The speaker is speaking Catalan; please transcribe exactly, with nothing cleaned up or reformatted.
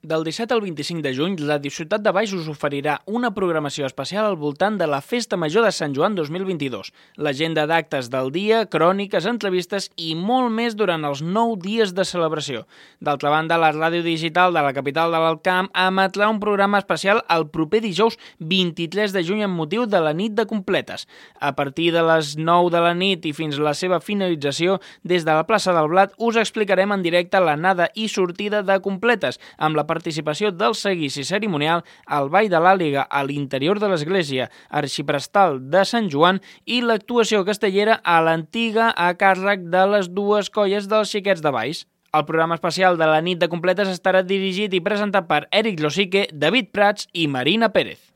Del disset al vint-i-cinc de juny, la Ciutat de Baix us oferirà una programació especial al voltant de la Festa Major de Sant Joan dos mil vint-i-dos, l'agenda d'actes del dia, cròniques, entrevistes i molt més durant els nou dies de celebració. D'altra banda, la ràdio digital de la capital de l'Alt Camp emetrà un programa especial el proper dijous vint-i-tres de juny amb motiu de la nit de completes. A partir de les nou de la nit i fins a la seva finalització, des de la plaça del Blat us explicarem en directe l'anada i sortida de completes, amb la participació del seguici cerimonial al Ball de l'Àliga a l'interior de l'església arxiprestal de Sant Joan i l'actuació castellera a l'antiga a càrrec de les dues colles dels Xiquets de Baix. El programa especial de la nit de completes estarà dirigit i presentat per Eric Losique, David Prats i Marina Pérez.